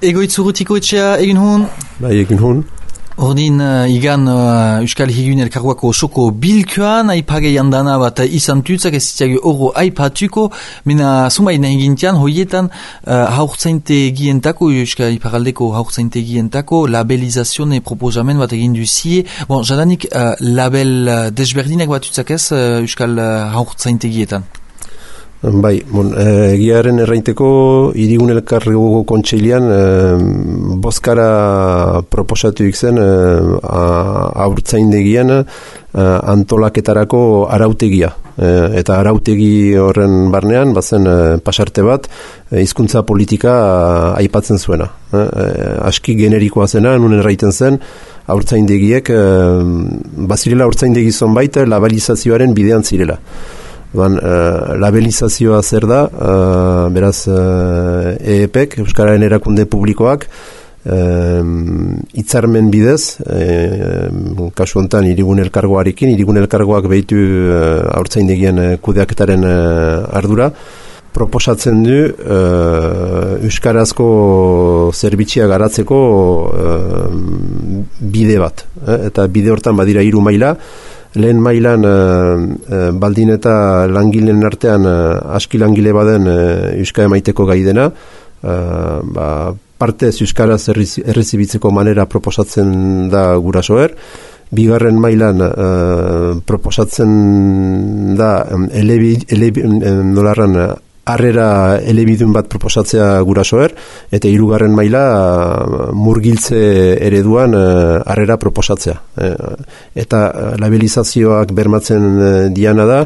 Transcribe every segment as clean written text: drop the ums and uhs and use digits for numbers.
Egoitzurutiko etxea egin hon? Bai, egin hon. Ordin igan Euskal Higun Elkargoako osoko bilkuan, aipagei handana bat izan tutzak ez zitiag oro aipatuko, mena zumaina egintian, hoietan haurtzaintegientako, Euskal Iparaldeko haurtzaintegientako labelizazione proposamen bat egin duzie. Bon, jadanik label desberdinak bat tutzak ez Euskal haurtzaintegietan? Bai, egiaren errainteko Hirigun Elkargoko kontseilean bozkara proposatu zen haurtzaindegian antolaketarako arautegia. Eta arautegi horren barnean, bazen pasarte bat, hizkuntza politika aipatzen zuena. Aski generikoa zena, nun erraiten zen, haurtzaindegiek, bazirela haurtzaindegi zonbait, labelizazioaren bidean zirela. Labelizazioa zer da, beraz EEPek, Euskararen erakunde publikoak, hitzarmen bidez, kasu honetan Hirigun Elkargoarekin, Hirigun Elkargoak behitu haurtzaindegien kudeaketaren ardura, proposatzen du euskarazko zerbitzia garatzeko bide bat. Eta bide hortan badira 3 maila. Lehen mailan baldin eta langileen artean aski langile baden euskara emaiteko gai dena, partez euskaraz errezibitzeko manera proposatzen da gurasoer. Bigarren mailan proposatzen da nolarran harrera elebidun bat proposatzea gurasoer, eta 3. maila murgiltze ereduan harrera proposatzea. Eta labelizazioak bermatzen diana da,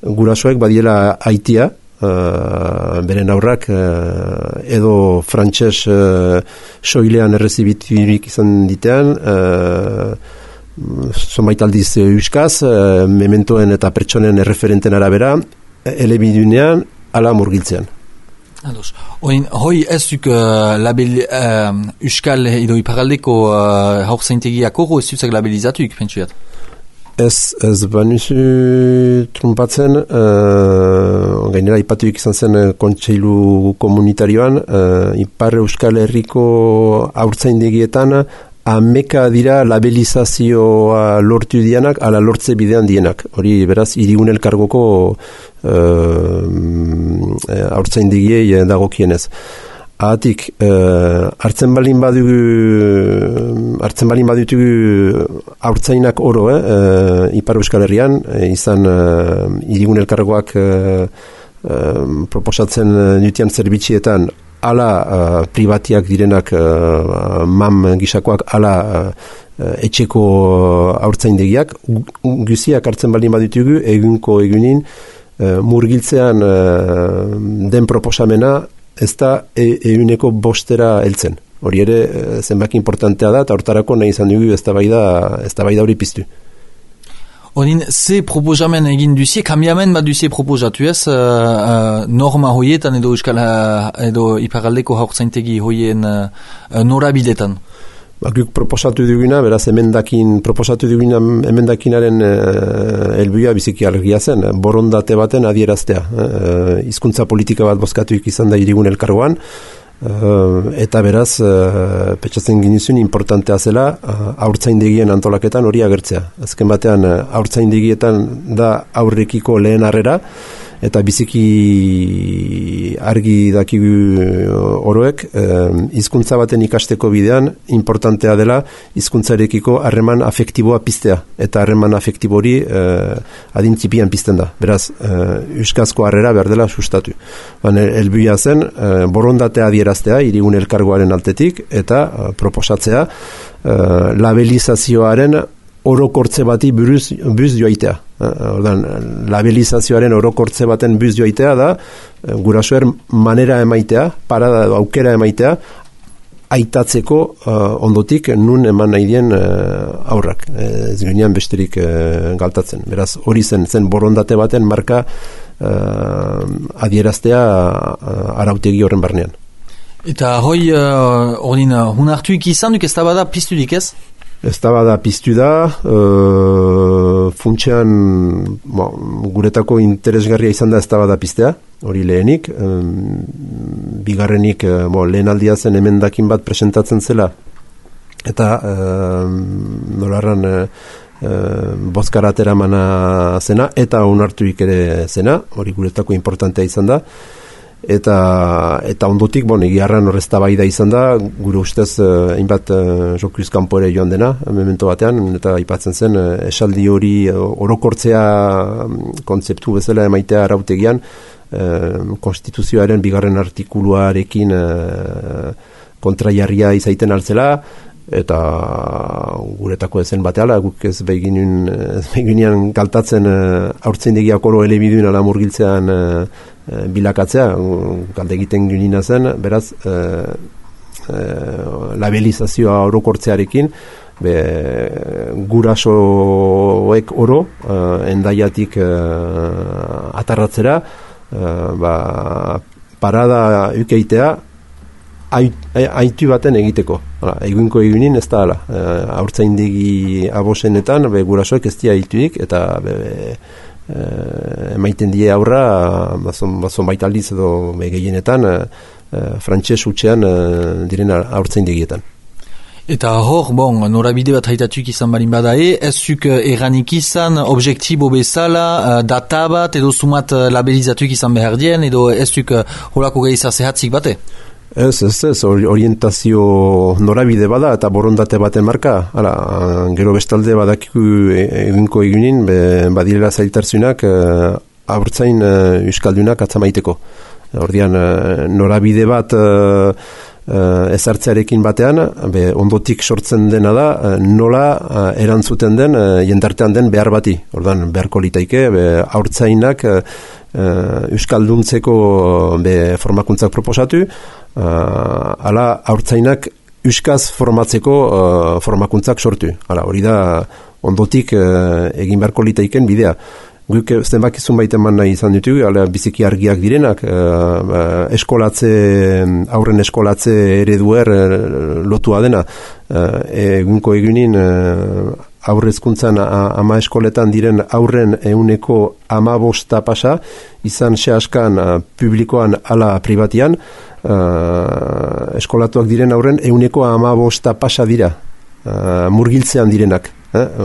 gurasoek badiela aitia, beren aurrak edo frantses soilean errezibiturik izan ditean, zonbait aldiz euskaz, mementoen eta pertsonen erreferenten arabera, elebidunean, ala murgiltzean. Hoi ez duk label Euskal edo Iparaldeko haurtzaintegiak horro ez dutzak labelizatuik, pentsuat? Ez banuzu trumpatzen, gainera ipatuik izan zen kontseilu komunitarioan, Ipar Euskal Herriko haurtzaindegietan ameka dira labelizazioa lortu dianak, ala lortze bidean dienak. Hori, beraz, Hirigun Elkargoko haurtzaindegiei dagokienez. Ahatik, hartzen balin badutugu haurtzainak oro, Ipar Euskal Herrian, izan Hirigun Elkargoak proposatzen dutian zerbitzietan, ala pribatiak direnak mam gisakoak, ala etxeko haurtzaindegiak, guziak hartzen balin baditugu, egunin murgiltzean den proposamena ez da eguneko 5 heltzen. Hori ere zenbaki importantea da, eta hortarako nahi izan dugu eztabaida hori piztu. Odin, ze proposamen egin duzie, kambiamen bat duzie proposatu ez, norma hoietan edo Euskal edo Iparaldeko haurtzaintegi hoien norabidetan? Guk proposatu duguna, beraz proposatu duguna emendakinaren helburua biziki argia zen, borondate baten adieraztea. Hizkuntza politika bat bozkatuik izan da Hirigun Elkargoan, eta beraz petxatzen ginizun importantea zela haurtzaindegien antolaketan hori agertzea. Azken batean haurtzaindegietan da aurrekiko lehen harrera, eta biziki argi dakigu oroek, hizkuntza baten ikasteko bidean importantea dela hizkuntzarekiko harreman afektiboa piztea, eta harreman afektibori adintzipian pizten da. Beraz, euskazko harrera behar dela sustatu. Helburua zen, borondatea adieraztea Hirigun Elkargoaren altetik, eta proposatzea labelizazioaren orokortze bati buz joaitea. Labelizazioaren orokortze baten buz joaitea da, gurasoer manera emaitea, parada edo aukera emaitea, aitatzeko ondotik nun eman nahi dien aurrak. Ez ginean besterik galtatzen. Beraz, hori zen borondate baten marka adieraztea arautegi horren barnean. Eta hoi, hunartuik izan duk ez da bada piztudik ez? Eztabaida piztu da, funtsean guretako interesgarria izan da eztabaida piztea, hori lehenik, bigarrenik lehen aldia zen emendakin bat presentatzen zela, eta nolarran bozkara ateramana zena, eta onartuik ere zena, hori guretako importantea izan da, eta ondotik, egiarran horreztabaida izan da, gure ustez, hainbat Jokuz kanpo ere joan dena, memento batean, eta aipatzen zen, esaldi hori orokortzea kontzeptu bezala emaitea arautegian, konstituzioaren bigarren artikuluarekin kontraiarria izaiten altzela, eta guretako ezen bateala, guk ez beginean galtatzen haurtzaindegiak oro elebidun ala murgiltzean bilakatzea, galde egiten ginina zen, beraz, labelizazioa orokortzearekin, gurasoek oro, endaiatik atarratzera, parada ukeitea, aitu baten egiteko. Egunko egunin ez da ala. Haurtzaindegi abosenetan, gurasoek ez dia aituik, eta emaiten die aurra, bazon baitaldiz edo gehienetan, frantses hutsean diren haurtzaindegietan. Eta hor, norabide bat haitatuik izan barin badae, ez zuk erranik izan, objektibo bezala, data bat, edo sumat labelizatuik izan behar dien, edo ez zuk holako gehiza zehatzik bate? Ez, orientazio norabide bada eta borondate baten marka. Gero bestalde badakiku egunko egunin, badirela zailtarzunak haurtzain euskaldunak atzamaiteko. Ordian, norabide bat ezartzearekin batean, ondotik sortzen dena da, nola erantzuten den, jendartean den behar bati. Ordan, beharko litaike, haurtzainak euskalduntzeko formakuntzak proposatu, ala haurtzainak euskaz formatzeko formakuntzak sortu. Hori da ondotik egin beharko litaiken bidea. Guk zenbakizun baiten man nahi izan ditugu, biziki argiak direnak, aurren eskolatze ereduer lotua dena. Egunko egunin aurrezkuntzan ama eskoletan diren aurren 15% pasa, izan sehaskan publikoan ala pribatian, eskolatuak diren aurren 15% pasa dira, murgiltzean direnak.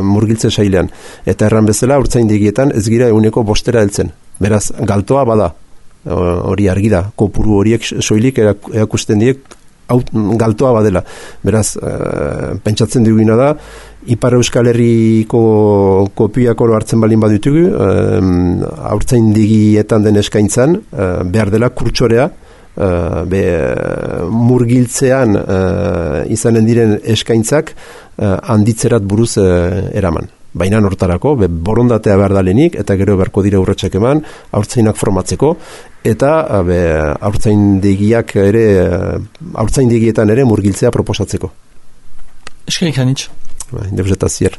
Murgiltze sailean. Eta erran bezala, haurtzaindegietan ez gira 5% heltzen. Beraz, galtoa bada. Hori argi da. Kopuru horiek soilik erakusten diek galtoa badela. Beraz, pentsatzen duguna da, Ipar Euskal Herriko kopiak oro hartzen balin baditugu, haurtzaindegietan den eskaintzan, behar dela kurtsorea, murgiltzean izanen diren eskaintzak handitzerat buruz eraman. Baina hortarako, borondatea behar dalenik, eta gero beharko dira urratsak eman, haurtzainak formatzeko, eta haurtzaindegietan ere murgiltzea proposatzeko. Eskerik hanitz. Indebzeta zier.